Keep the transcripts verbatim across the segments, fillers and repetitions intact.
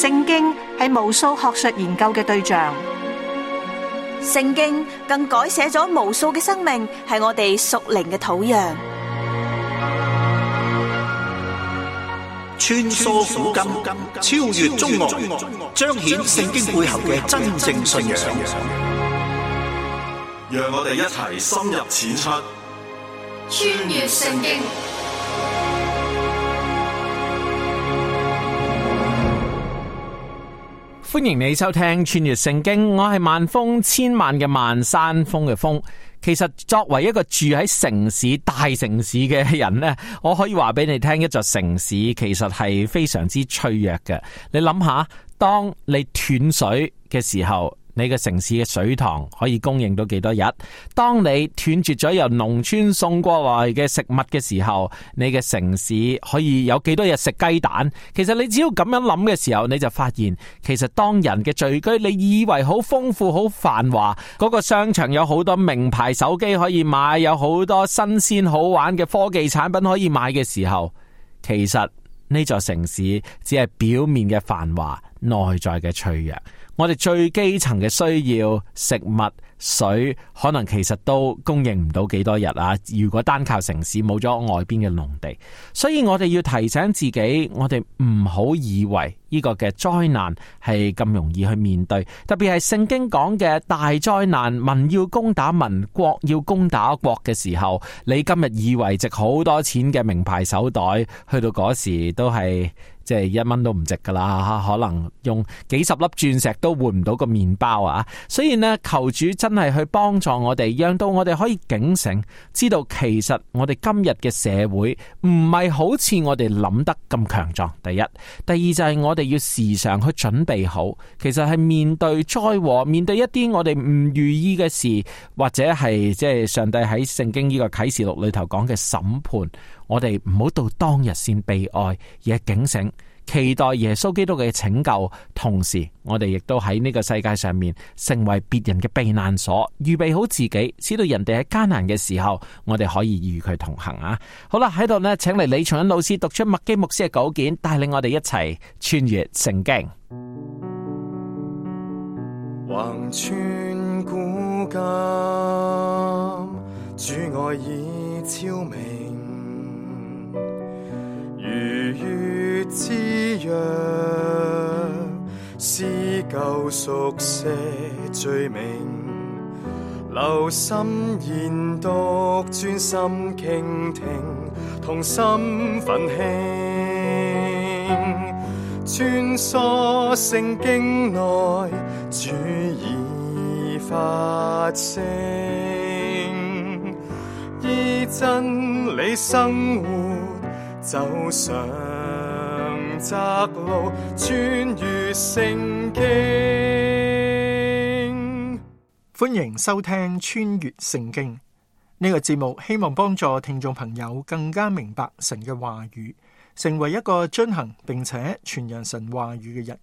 聖經係無數學術研究嘅對象，聖經更改寫咗無數嘅生命，係我哋屬靈嘅土壤。穿梭古今，超越中外，彰顯聖經背後嘅真正信仰。讓我哋一齊深入淺出，穿越聖經。歡迎你收聽穿越聖經，我係萬峰，千萬嘅萬，山峰嘅峰。其實作為一個住喺城市大城市嘅人呢，我可以話俾你聽，一座城市其實係非常之脆弱嘅。你諗下，當你斷水嘅時候，你嘅城市嘅水塘可以供應到幾多日？當你斷絕咗由農村送過來嘅食物嘅時候，你嘅城市可以有幾多日食雞蛋？其實你只要咁樣諗嘅時候，你就發現，其實當人嘅聚居，你以為好豐富、好繁華，嗰個商場有好多名牌手機可以買，有好多新鮮好玩嘅科技產品可以買嘅時候，其實呢座城市只係表面嘅繁華，內在嘅脆弱。我哋最基層嘅需要，食物、水，可能其實都供應唔到幾多日啊！如果單靠城市，冇咗外邊嘅農地，所以我哋要提醒自己，我哋唔好以為呢個嘅災難係咁容易去面對，特別係聖經講嘅大災難，民要攻打民，國要攻打國嘅時候，你今日以為值好多錢嘅名牌手袋，去到嗰時都係即係一蚊都唔值噶啦，可能用幾十粒鑽石都換唔到個麵包啊！所以呢，求主真係去幫助我哋，讓到我哋可以警醒，知道其實我哋今日嘅社會唔係好似我哋諗得咁強壯。第一，第二就係我哋要時常去準備好，其實係面對災禍，面對一啲我哋唔如意嘅事，或者係即係上帝喺聖經呢個啟示錄裏頭講嘅審判，我哋唔好到當日先悲哀，而係警醒，期待耶穌基督嘅拯救。同時我哋亦都喺呢個世界上面成為別人嘅避難所，預備好自己，使到人哋喺艱難嘅時候，我哋可以與佢同行啊！好啦，喺度呢，請嚟李松恩老師讀出麥基牧師嘅稿件，帶領我哋一齊穿越聖經。橫穿古今，主愛已昭明，如月之約，撕舊熟寫罪名，留心研讀，專心傾聽，同心奮興，穿梭聖經內，主已發聲，依真理生活，走上窄路，穿越聖經。歡迎收聽穿越聖經呢個節目，希望幫助聽眾朋友更加明白神嘅話語，成為一個遵行並且傳揚神話語嘅人。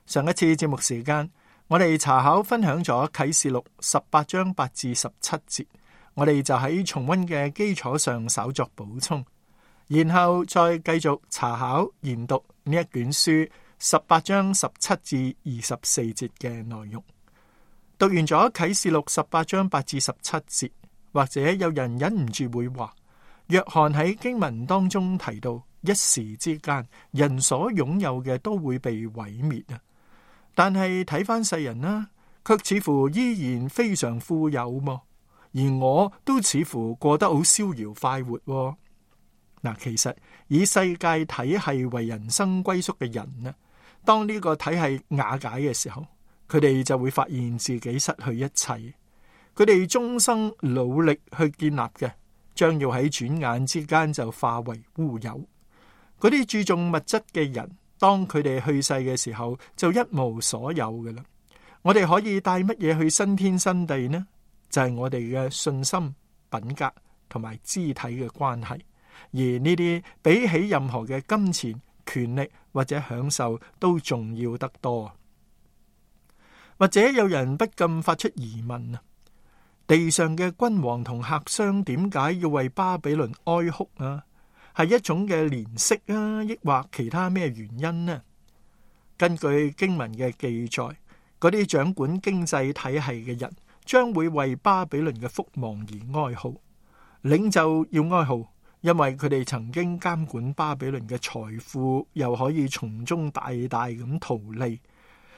上一次節目時間，我哋查考分享咗啟示錄十八章八至十七節，我哋就喺重溫嘅基礎上稍作補充，然後再繼續查考研讀呢一卷書十八章十七至二十四節嘅內容。讀完咗啟示錄十八章八至十七節，或者有人忍唔住會話，約翰喺經文當中提到，一時之間人所擁有嘅都會被毀滅啊！但係睇翻世人啦，卻似乎依然非常富有嘛，而我都似乎過得好逍遙快活。嗱，其實以世界體系為人生歸宿嘅人呢，當呢個體系瓦解嘅時候，佢哋就會發現自己失去一切。佢哋終生努力去建立嘅，將要喺轉眼之間就化為烏有。嗰啲注重物質嘅人，當佢哋去世嘅時候，就一無所有嘅啦。我哋可以帶乜嘢去新天新地呢？就係我哋嘅信心、品格同埋肢體嘅關係。而呢啲比起任何嘅金錢、權力或者享受都重要得多。或者有人不禁發出疑問啊，地上嘅君王同客商點解要為巴比倫哀哭啊？係一種嘅憐惜啊，抑或其他咩原因呢？根據經文嘅記載，嗰啲掌管經濟體系嘅人將會為巴比倫嘅覆亡而哀號。領袖要哀號，因為佢哋曾經監管巴比倫嘅財富，又可以從中大大咁圖利。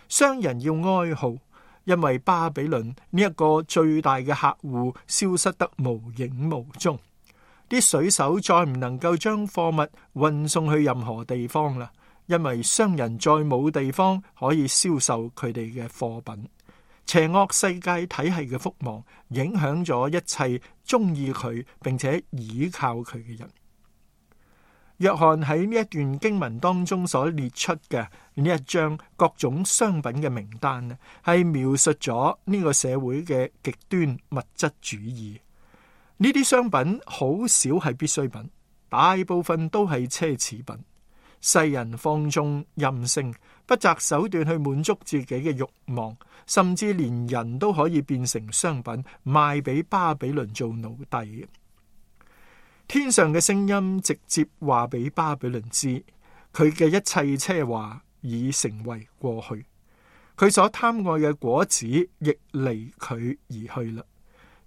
商人要哀號，因為巴比倫呢一個最大嘅客戶消失得無影無蹤。啲水手再唔能夠將貨物運送去任何地方啦，因為商人再冇地方可以銷售佢哋嘅貨品。邪惡世界體系嘅覆亡影響咗一切中意佢並且倚靠佢嘅人。約翰喺呢一段經文當中所列出嘅呢一張各種商品嘅名單呢，係描述咗呢個社會嘅極端物質主義。呢啲商品好少係必需品，大部分都係奢侈品。世人放縱任性，不擇手段去滿足自己嘅慾望，甚至連人都可以變成商品，賣俾巴比倫做奴隸。天上嘅聲音直接話俾巴比倫知，佢嘅一切奢華已成為過去，佢所貪愛嘅果子亦離佢而去啦。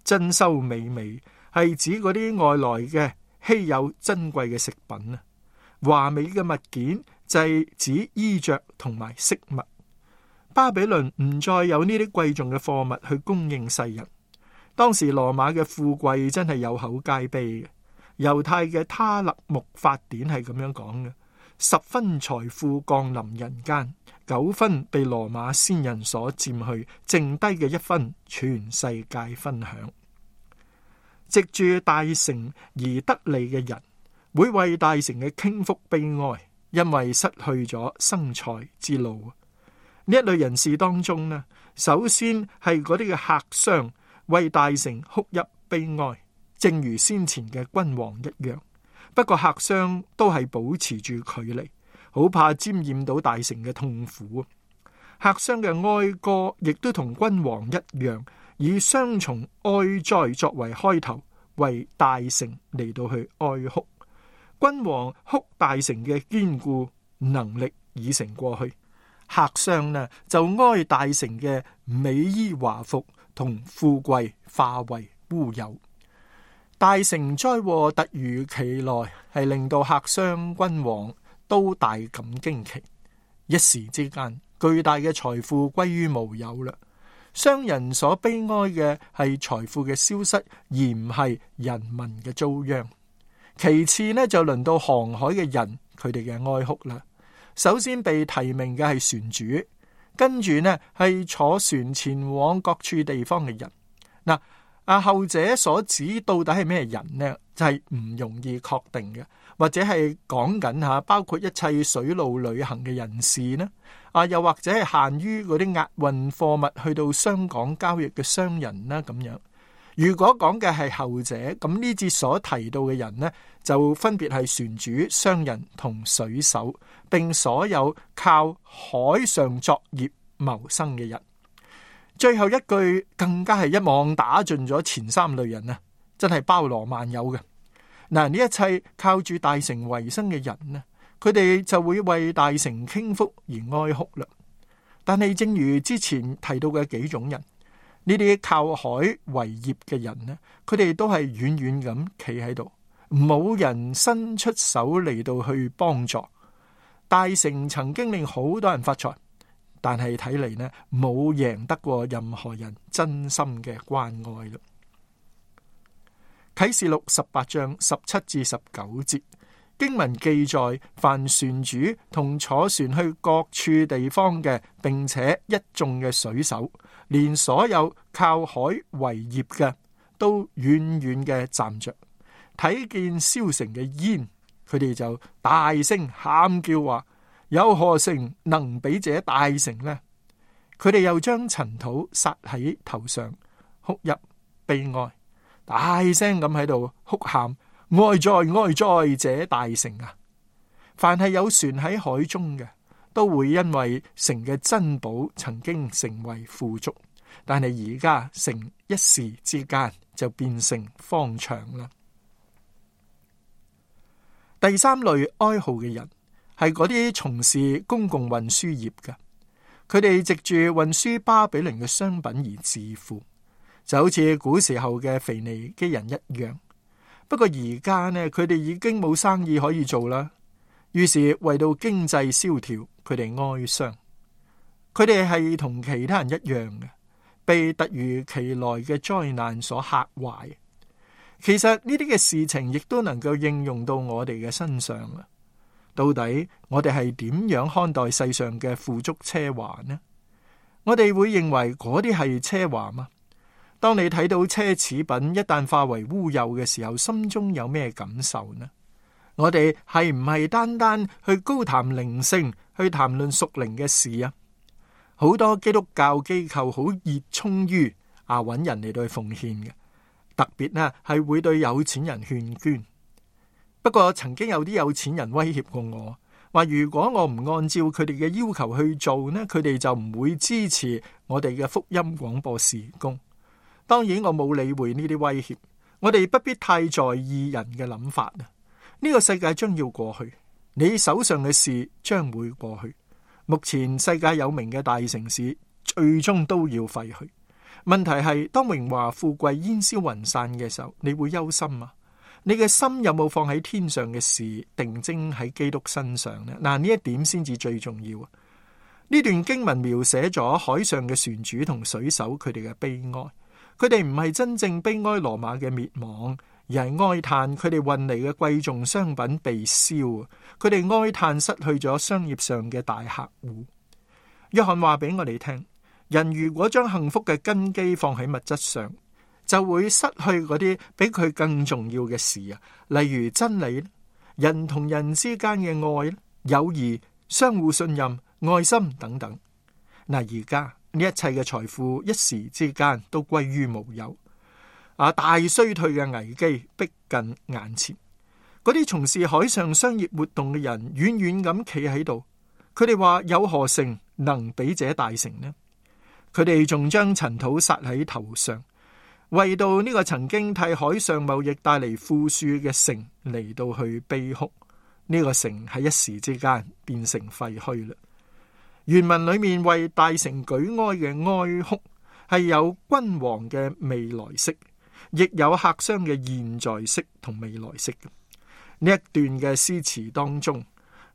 珍饈美味係指嗰啲外來嘅稀有珍貴嘅食品啊，華美嘅物件就係指衣着同埋飾物。巴比倫唔再有呢啲貴重嘅貨物去供應世人。當時羅馬嘅富貴真係有口皆碑嘅。猶太嘅他勒木法典係咁樣講嘅：十分財富降臨人間，九分被羅馬先人所佔去，剩低嘅一分全世界分享。藉住大城而得利嘅人，會為大城嘅傾覆悲哀，因為失去咗生財之路。呢一類人士當中呢，首先係嗰啲嘅客商為大城哭泣悲哀，正如先前嘅君王一樣。不過客商都係保持住距離，好怕沾染到大城嘅痛苦。客商嘅哀歌亦都同君王一樣，以雙重哀哉作為開頭，為大城嚟到去哀哭。君王哭大城嘅堅固能力已成過去，客商呢就哀大城嘅美衣華服同富貴化為烏有。大城災禍突如其來，係令到客商君王都大感驚奇。一時之間，巨大嘅財富歸於無有啦。商人所悲哀嘅係財富嘅消失，而唔係人民嘅遭殃。其次呢，就輪到航海嘅人，佢哋嘅哀哭啦。首先被提名嘅係船主，跟住呢係坐船前往各處地方嘅人。嗱，啊後者所指到底係咩人呢？就係、是、唔容易確定嘅，或者係講緊吓包括一切水路旅行嘅人士呢？啊，又或者係限於嗰啲押運貨物去到商港交易嘅商人啦咁樣。如果講嘅係後者，咁呢節所提到嘅人呢，就分別係船主、商人同水手，並所有靠海上作業謀生嘅人。最後一句更加係一網打盡咗前三類人啊，真係包羅萬有嘅。嗱，呢一切靠住大城為生嘅人呢，佢哋就會為大城傾覆而哀哭啦。但係正如之前提到嘅幾種人，呢啲靠海為業嘅人呢，佢哋都係遠遠咁企喺度，冇人伸出手嚟到去幫助。大城曾經令好多人發財，但係睇嚟呢，冇贏得過任何人真心嘅關愛啦。啟示錄十八章十七至十九節經文記載，凡船主同坐船去各處地方嘅，並且一眾嘅水手，連所有靠海為業嘅，都遠遠嘅站着，睇見燒成嘅煙，佢哋就大聲喊叫話：有何城能比這大城呢？佢哋又將塵土撒喺頭上，哭泣悲哀，大聲咁喺度哭喊：哀哉哀哉這大城啊！凡係有船喺海中嘅，都會因為城嘅珍寶曾經成為富足，但係而家城一時之間就變成荒場啦。第三類哀號嘅人係嗰啲從事公共運輸業嘅，佢哋藉住運輸巴比倫嘅商品而致富，就好似古時候嘅腓尼基人一樣。不過而家呢，佢哋已經冇生意可以做啦，於是為到經濟蕭條，佢哋哀傷。佢哋係同其他人一樣嘅，被突如其來嘅災難所嚇壞。其實呢啲嘅事情亦都能夠應用到我哋嘅身上啊！到底我哋係點樣看待世上嘅富足奢華呢？我哋會認為嗰啲係奢華嗎？當你睇到奢侈品一旦化為烏有嘅時候，心中有咩感受呢？我哋係唔係單單去高談靈性，去談論屬靈嘅事啊？好多基督教機構好熱衷於啊揾人嚟到去奉獻嘅，特別呢係會對有錢人勸捐。不過曾經有啲有錢人威脅過我，話如果我唔按照佢哋嘅要求去做呢，佢哋就唔會支持我哋嘅福音廣播事工。當然我冇理會呢啲威脅，我哋不必太在意人嘅諗法啊！呢個世界將要過去，你手上嘅事將會過去。目前世界有名嘅大城市最終都要廢去。問題係當榮華富貴煙消雲散嘅時候，你會憂心啊？你嘅心有冇放喺天上嘅事，定睛喺基督身上呢？嗱，呢一點先至最重要啊！呢段經文描寫咗海上嘅船主同水手佢哋嘅悲哀。佢哋唔係真正悲哀羅馬嘅滅亡，而係哀嘆佢哋運嚟嘅貴重商品被燒。佢哋哀嘆失去咗商業上嘅大客戶。約翰話俾我哋聽，人如果將幸福嘅根基放喺物質上，就會失去嗰啲比佢更重要嘅事啊，例如真理、人同人之間嘅愛、友誼、相互信任、愛心等等。嗱，而家呢一切嘅財富一時之間都歸於無有，啊！大衰退嘅危機逼近眼前，嗰啲從事海上商業活動嘅人遠遠咁企喺度，佢哋話有何城能比這大城呢？佢哋仲將塵土撒喺頭上，為到呢個曾經替海上貿易帶嚟富庶嘅城嚟到去悲哭。呢個城喺一時之間變成廢墟啦。原文裏面為大城舉哀嘅哀哭係有君王嘅未來式，亦有客商嘅現在式同未來式嘅。呢一段嘅詩詞當中，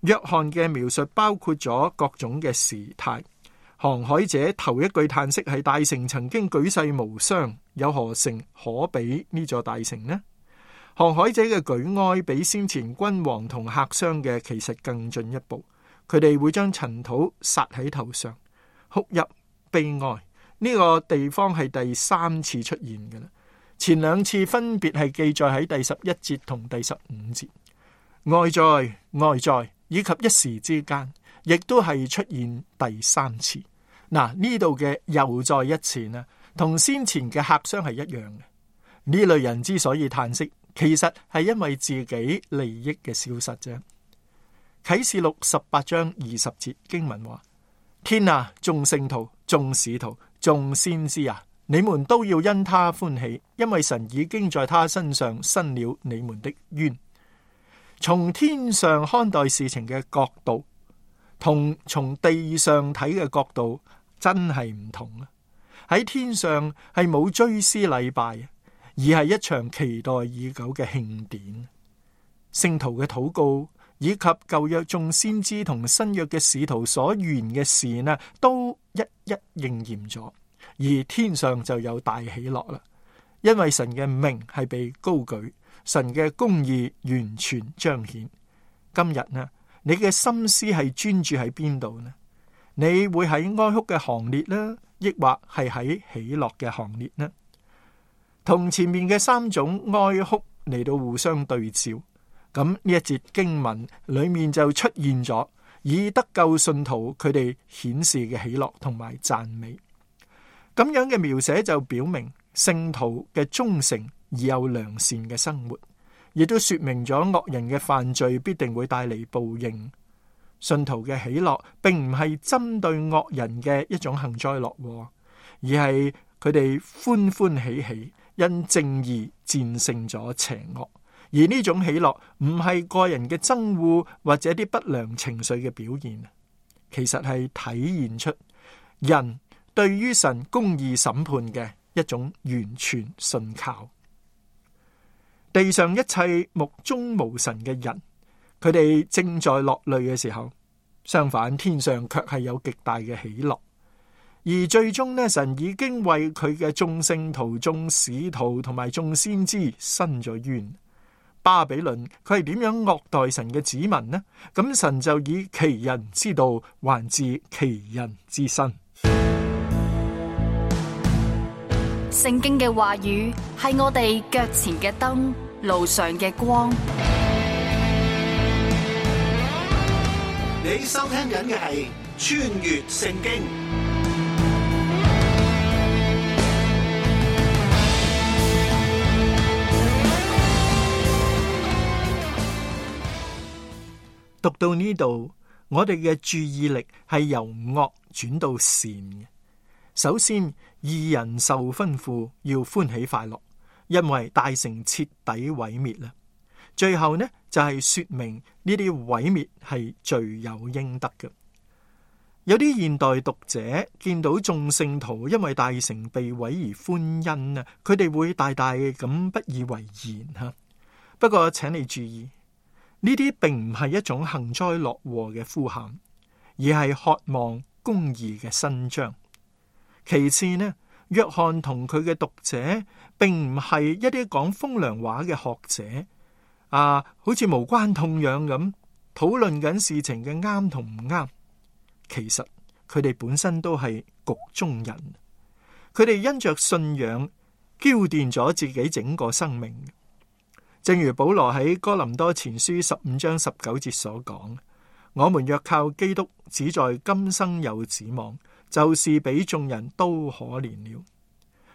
約翰嘅描述包括咗各種嘅時態。航海者頭一句嘆息係大城曾經舉世無雙，有何城可比呢座大城呢？航海者嘅舉哀比先前君王同客商嘅其實更進一步。佢哋會將塵土撒喺頭上，哭泣悲哀。呢個地方係第三次出現嘅啦，前兩次分別係記載喺第十一節同第十五節。外在、外在以及一時之間，亦都係出現第三次。嗱，呢度嘅又再一次呢，同先前嘅客商係一樣嘅。呢類人之所以嘆息，其實係因為自己利益嘅消失啫。啟示錄十八章二十節經文話：天啊，眾聖徒、眾使徒、眾先知啊，你們都要因他歡喜，因為神已經在他身上伸了你們的冤。從天上看待事情嘅角度，同從地上睇嘅角度真係唔同啊！喺天上係冇追思禮拜，而係一場期待已久嘅慶典。聖徒嘅禱告，以及舊約眾先知同新約嘅使徒所預言嘅事呢，都一一應驗咗，而天上就有大喜樂啦。因為神嘅名係被高舉，神嘅公義完全彰顯。今日呢，你嘅心思係專注喺邊度呢？你會喺哀哭嘅行列呢，抑或係喺喜樂嘅行列呢？同前面嘅三種哀哭嚟到互相對照。咁呢一節經文裏面就出現咗以得救信徒佢哋顯示嘅喜樂同埋讚美，咁樣嘅描寫就表明聖徒嘅忠誠而有良善嘅生活，亦都說明咗惡人嘅犯罪必定會帶嚟報應。信徒嘅喜樂並唔係針對惡人嘅一種幸災樂禍，而係佢哋歡歡喜喜，因正義戰勝咗邪惡。而呢種喜樂唔係個人嘅憎惡或者啲不良情緒嘅表現，其實係體現出人對於神公義審判嘅一種完全信靠。地上一切目中無神嘅人，佢哋正在落淚嘅時候，相反天上卻係有極大嘅喜樂。而最終呢，神已經為佢嘅眾聖徒、眾使徒同埋眾先知伸咗冤。巴比倫佢係點樣惡待神嘅子民呢？咁神就以其人之道還治其人之身。聖經嘅話語係我哋腳前嘅燈，路上嘅光。你收聽緊嘅係穿越聖經。讀到呢度，我哋嘅注意力係由惡轉到善嘅。首先，義人受吩咐要歡喜快樂，因為大城徹底毀滅啦。最後呢，就係說明呢啲毀滅係罪有應得嘅。有啲現代讀者見到眾聖徒因為大城被毀而歡欣啊，佢哋會大大咁不以為然吓。不過請你注意，呢啲並唔係一種幸災樂禍嘅呼喊，而係渴望公義嘅伸張。其次呢，約翰同佢嘅讀者並唔係一啲講風涼話嘅學者啊，好似無關痛癢咁討論緊事情嘅啱同唔啱。其實佢哋本身都係局中人，佢哋因着信仰澆奠咗自己整個生命。正如保羅喺哥林多前書十五章十九節所講，我們若靠基督，只在今生有指望，就是比眾人都可憐了。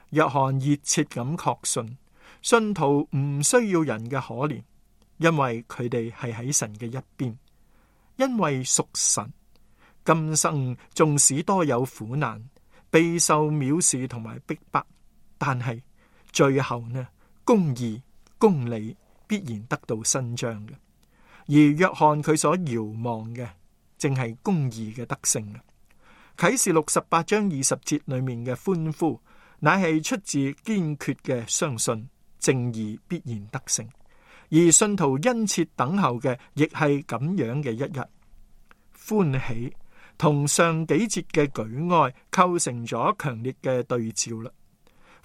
約翰熱切咁確信，信徒唔需要人嘅可憐，因為佢哋係喺神嘅一邊，因為屬神。今生縱使多有苦難，備受藐視同埋逼迫，但係最後呢，公義公理必然得到伸張嘅，而約翰佢所遙望嘅正係公義嘅得勝啊！啟示錄十八章二十節裏面嘅歡呼，乃係出自堅決嘅相信正義必然得勝，而信徒殷切等候嘅亦係咁樣嘅一日。歡喜同上幾節嘅舉哀構成咗強烈嘅對照啦。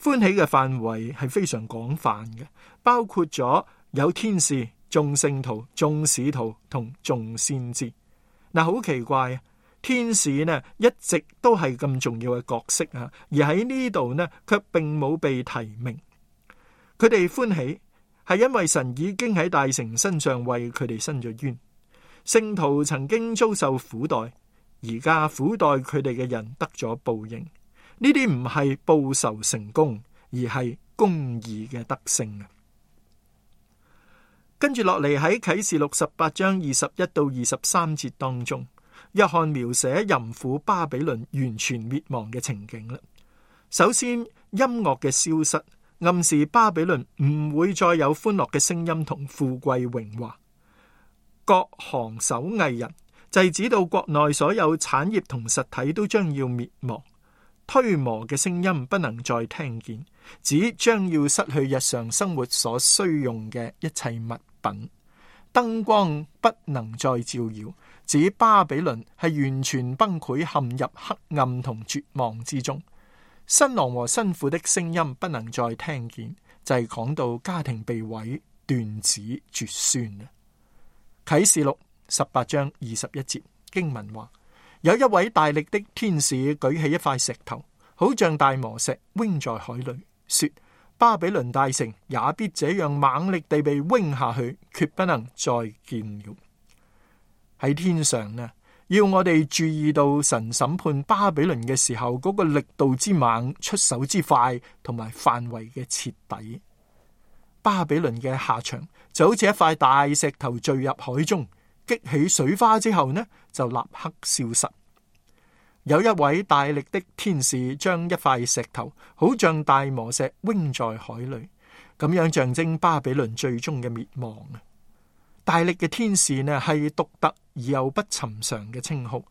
歡喜嘅範圍係非常廣泛嘅，包括咗有天使、眾聖徒、眾使徒同眾先知。嗱，好奇怪啊！天使呢一直都係咁重要嘅角色啊，而喺呢度呢卻並冇被提名。佢哋歡喜係因為神已經喺大城身上為佢哋伸咗冤。聖徒曾經遭受苦待，而家苦待佢哋嘅人得咗報應。呢啲唔係報仇成功，而係公義嘅得勝啊！跟住落嚟喺啟示錄十八章二十一到二十三節當中，約翰描寫淫婦巴比倫完全滅亡嘅情景啦。首先，音樂嘅消失，暗示巴比倫唔會再有歡樂嘅聲音同富貴榮華。各行手藝人，就係指到國內所有產業同實體都將要滅亡。推磨嘅聲音不能再聽見，只將要失去日常生活所需用嘅一切物品。燈光不能再照耀，指巴比倫係完全崩潰，陷入黑暗同絕望之中。新郎和新婦的聲音不能再聽見，就係講到家庭被毀，斷子絕孫啊！啟示錄十八章二十一節經文話，有一位大力的天使舉起一塊石頭，好像大磨石，扔在海裏，說：巴比倫大城也必這樣猛力地被扔下去，決不能再見了。喺天上呢，要我哋注意到神審判巴比倫嘅時候嗰個力度之猛、出手之快同埋範圍嘅徹底。巴比倫嘅下場就好似一塊大石頭墜入海中，激起水花之後呢，就立刻消失。有一位大力的天使將一塊石頭，好像大磨石，扔在海裏。咁樣象徵巴比倫最終嘅滅亡啊！大力嘅天使呢，係獨特而又不尋常嘅稱號。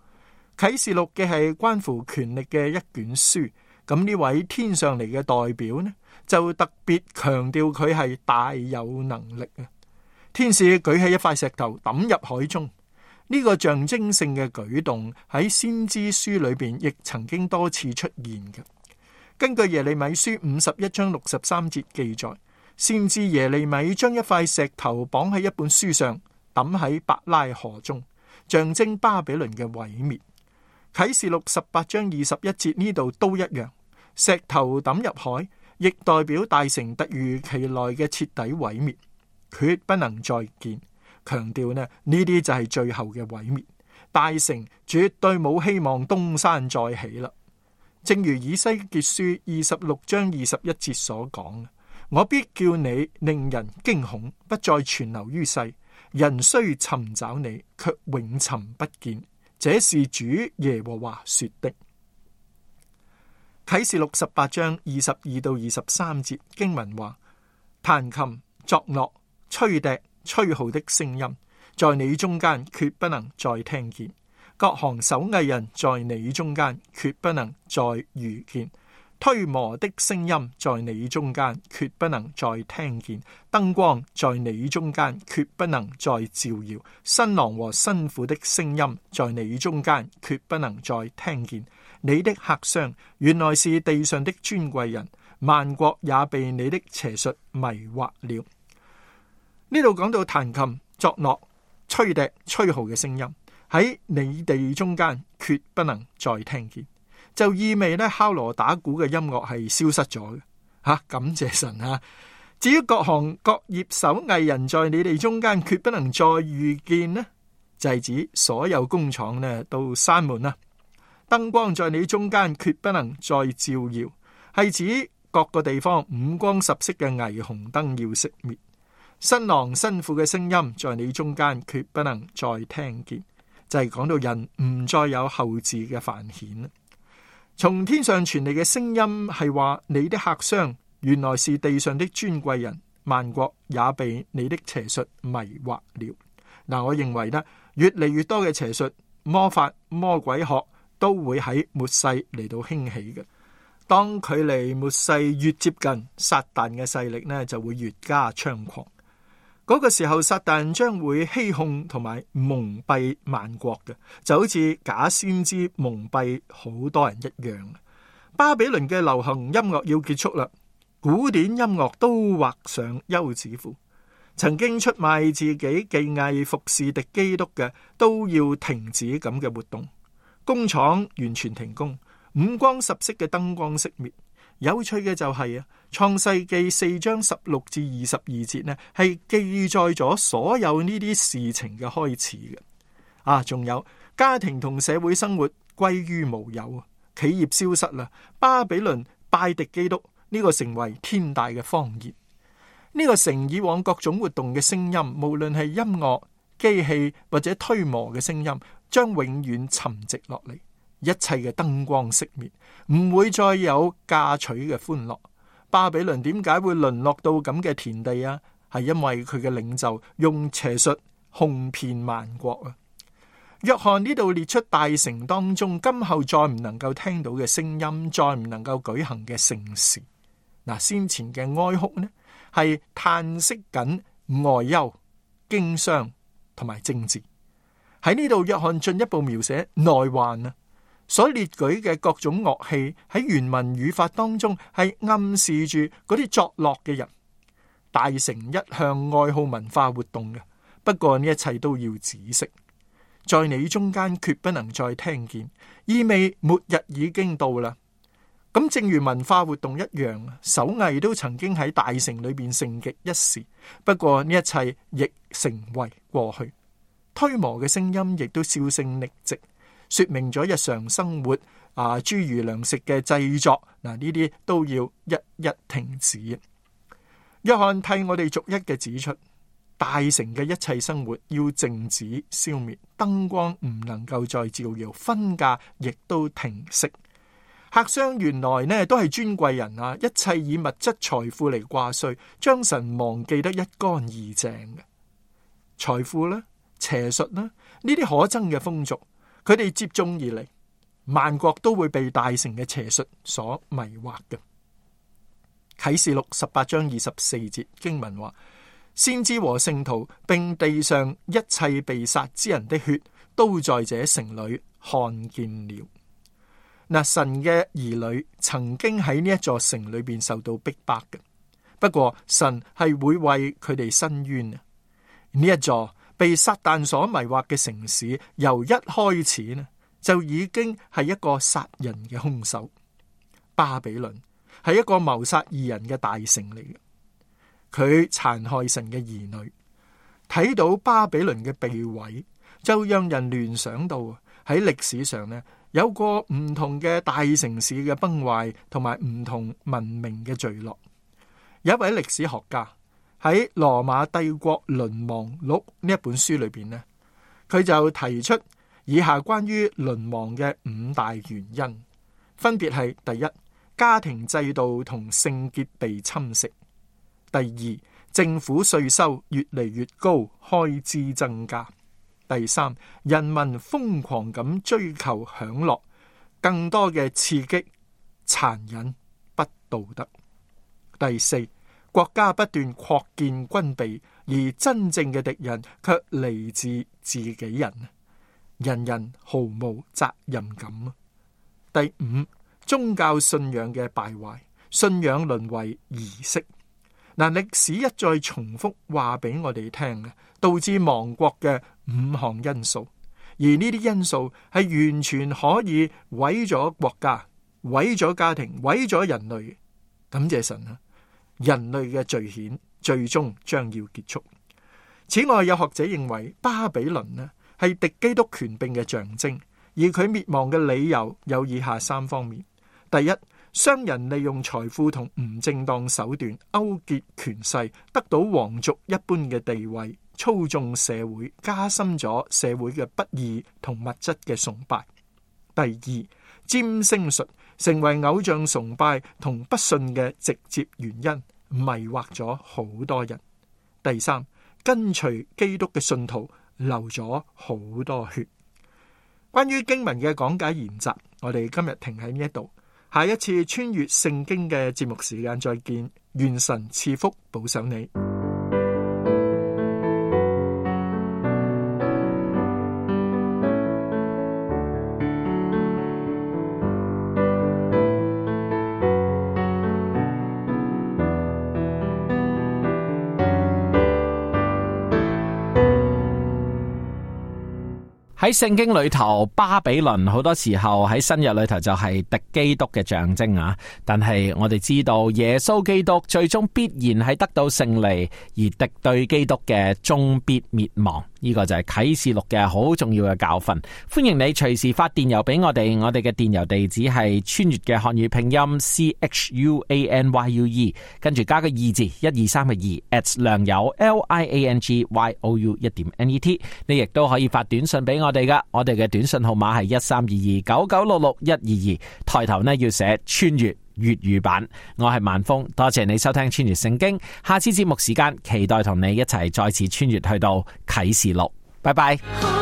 啟示錄嘅係關乎權力嘅一卷書，咁呢位天上嚟嘅代表呢，就特別強調佢係大有能力啊！天使舉起一塊石頭抌入海中，呢個象徵性嘅舉動喺先知書裏邊亦曾經多次出現嘅。根據耶利米書五十一章六十三節記載，先知耶利米將一塊石頭綁喺一本書上，抌喺伯拉河中，象徵巴比倫嘅毀滅。啟示錄十八章二十一節呢度都一樣，石頭抌入海，亦代表大城突如其來嘅徹底毀滅，決不能再見。強調呢，呢啲就係最後嘅毀滅，大城絕對冇希望東山再起啦。正如以西結書二十六章二十一節所講，我必叫你令人驚恐，不再存留於世，人雖尋找你，卻永尋不見。這是主耶和華說的。啟示錄十八章二十二到二十三節經文話：彈琴、作樂、吹笛、吹號的聲音，在你中間決不能再聽見；各行手藝人在你中間決不能再遇見；推磨的聲音在你中間決不能再聽見；燈光在你中間決不能再照耀；新郎和新婦的聲音在你中間決不能再聽見。你的客商原來是地上的尊貴人，萬國也被你的邪術迷惑了。呢度講到彈琴、作樂、吹笛、吹號嘅聲音喺你哋中間決不能再聽見，就意味咧敲鑼打鼓嘅音樂係消失咗嘅。吓、啊，感謝神啊！至於各行各業手藝人在你哋中間決不能再遇見呢，就係、是、指所有工廠呢都閂門啦。燈光在你中間決不能再照耀，係指各個地方五光十色嘅霓虹燈要熄滅。新郎新婦嘅聲音在你中間決不能再聽見，就係、是、講到人唔再有後嗣嘅繁衍。從天上傳嚟嘅聲音係話，你的客商原來是地上的尊貴人，萬國也被你的邪術迷惑了。嗱，我認為呢，越嚟越多嘅邪術、魔法、魔鬼學都會喺末世嚟到興起嘅。當距離末世越接近，撒旦嘅勢力呢就會越加猖狂。嗰、那個時候，撒旦將會欺哄同埋蒙蔽萬國嘅，就好似假先知蒙蔽好多人一樣。巴比倫嘅流行音樂要結束啦，古典音樂都畫上休止符。曾經出賣自己技藝服侍敵基督嘅，都要停止咁嘅活動。工廠完全停工，五光十色嘅燈光熄滅。有趣嘅就係啊，創世記四章十六至二十二節呢，係記載咗所有呢啲事情嘅開始嘅。啊，仲有家庭同社會生活歸於無有，企業消失啦，巴比倫拜敵基督，呢、這個成為天大嘅謊言。呢、這個城以往各種活動嘅聲音，無論係音樂、機器或者推磨嘅聲音，將永遠沉寂落嚟。一切嘅燈光熄滅，唔會再有嫁娶嘅歡樂。巴比倫點解會淪落到咁嘅田地啊？係因為佢嘅領袖用邪術哄騙萬國啊！約翰呢度列出大城當中今後再唔能夠聽到嘅聲音，再唔能夠舉行嘅盛事。嗱，先前嘅哀哭呢，係嘆息緊外憂、經商同埋政治。喺呢度，約翰進一步描寫內患啊！所列舉嘅各種樂器喺原文語法當中係暗示住嗰啲作樂嘅人。大城一向愛好文化活動嘅，不過呢一切都要止息。在你中間決不能再聽見，意味末日已經到啦。咁正如文化活動一樣，手藝都曾經喺大城裏邊盛極一時，不過呢一切亦成為過去。推磨嘅聲音亦都銷聲匿跡，說明咗日常生活啊，諸如糧食嘅製作嗱，呢啲都要一一停止。約翰替我哋逐一嘅指出，大城嘅一切生活要靜止消滅，燈光唔能夠再照耀，婚嫁亦都停息。客商原來呢都係尊貴人啊，一切以物質財富嚟掛帥，將神忘記得一乾二淨嘅。財富啦、邪術啦，呢啲可憎嘅風俗，佢哋接踵而嚟，萬國都會被大成嘅邪術所迷惑嘅。啟示錄十八章二十四節經文話：先知和聖徒並地上一切被殺之人的血，都在這城裏看見了。嗱，神嘅兒女曾經喺呢一座城裏邊受到逼迫嘅，不過神係會為佢哋伸冤啊！呢一座被撒旦所迷惑嘅城市，由一開始呢就已經係一個殺人嘅兇手。巴比倫係一個謀殺義人嘅大城嚟嘅，佢殘害神嘅兒女。睇到巴比倫嘅被毀，就讓人聯想到喺歷史上呢，有過唔同嘅大城市嘅崩壞，同埋唔同文明嘅墜落。有一位歷史學家喺《羅馬帝國淪亡錄》呢一本書裏邊呢，佢就提出以下關於淪亡嘅五大原因，分別係：第一，家庭制度同聖潔被侵蝕；第二，政府稅收越嚟越高，開支增加；第三，人民瘋狂咁追求享樂，更多嘅刺激、殘忍、不道德；第四，國家不斷擴建軍備，而真正嘅敵人卻嚟自自己人，人人毫無責任感。第五，宗教信仰嘅敗壞，信仰淪為儀式。嗱，歷史一再重複話俾我哋聽嘅，導致亡國嘅五項因素，而呢啲因素係完全可以毀咗國家、毀咗家庭、毀咗人類。感謝神啊！人類嘅罪愆最終將要結束。此外，有學者認為巴比倫呢係敵基督權柄嘅象徵，而佢滅亡嘅理由有以下三方面：第一，商人利用財富同唔正當手段勾結權勢，得到皇族一般嘅地位，操縱社會，加深咗社會嘅不義同物質嘅崇拜；第二，占星術成為偶像崇拜同不信嘅直接原因，迷惑咗好多人；第三，跟隨基督嘅信徒流咗好多血。關於經文嘅講解研習，我哋今日停喺呢一度，下一次穿越聖經嘅節目時間再見，願神賜福保守你。喺聖經裏頭，巴比倫好多時候喺新約裏頭就係敵基督嘅象徵啊！但係我哋知道耶穌基督最終必然係得到勝利，而敵對基督嘅終必滅亡。呢個就係啟示錄嘅好重要嘅教訓。歡迎你隨時發電郵俾我哋，我哋嘅電郵地址係穿越嘅漢語拼音 C H U A N Y U E， 跟住加個二字一二三嘅二 at 良友 L I A N G Y O U 一點 N E T。你亦都可以發短信俾我哋噶，我哋嘅短信號碼係一三二二九九六六一二二，抬頭呢要寫穿越粵語版。我係萬峰，多謝你收聽穿越聖經，下次節目時間期待同你一齊再次穿越去到啟示錄，拜拜。